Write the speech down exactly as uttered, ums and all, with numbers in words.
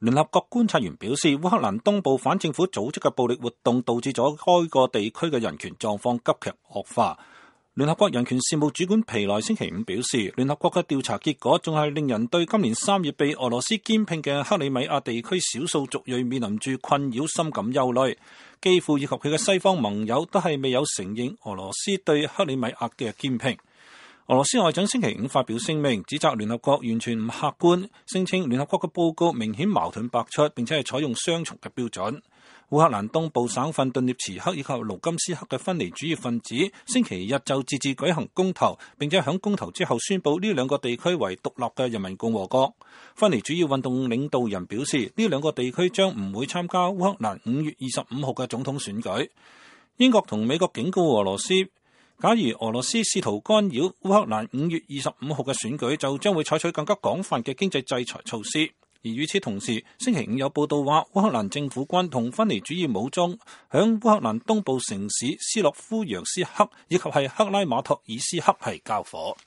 聯合國觀察員表示，烏克蘭東部反政府組織嘅暴力活動導致咗該個地區嘅人權狀況急劇惡化。聯合國人權事務主管皮萊星期五表示，聯合國嘅調查結果仲係令人對今年三月被俄羅斯兼併嘅克里米亞地區少數族裔面臨住困擾深感憂慮。基輔以及佢嘅西方盟友都係未有承認俄羅斯對克里米亞嘅兼併。俄羅斯外長星期五發表聲明，指責聯合國完全唔客觀，聲稱聯合國嘅報告明顯矛盾百出，並且係採用雙重嘅標準。烏克蘭東部省份頓涅茨克以及盧甘斯克嘅分離主義分子星期日就自治舉行公投，並且喺公投之後宣布呢兩個地區為獨立嘅人民共和國。分離主義運動領導人表示，呢兩個地區將唔會參加烏克蘭五月二十五號嘅總統選舉。英國同美國警告俄羅斯，假如俄羅斯試圖干擾烏克蘭五月二十五號嘅選舉，就將會採取更加廣泛嘅經濟制裁措施。而與此同時，星期五有報道話，烏克蘭政府軍同分離主義武裝響烏克蘭東部城市斯洛夫揚斯克以及係克拉馬托爾斯克係交火。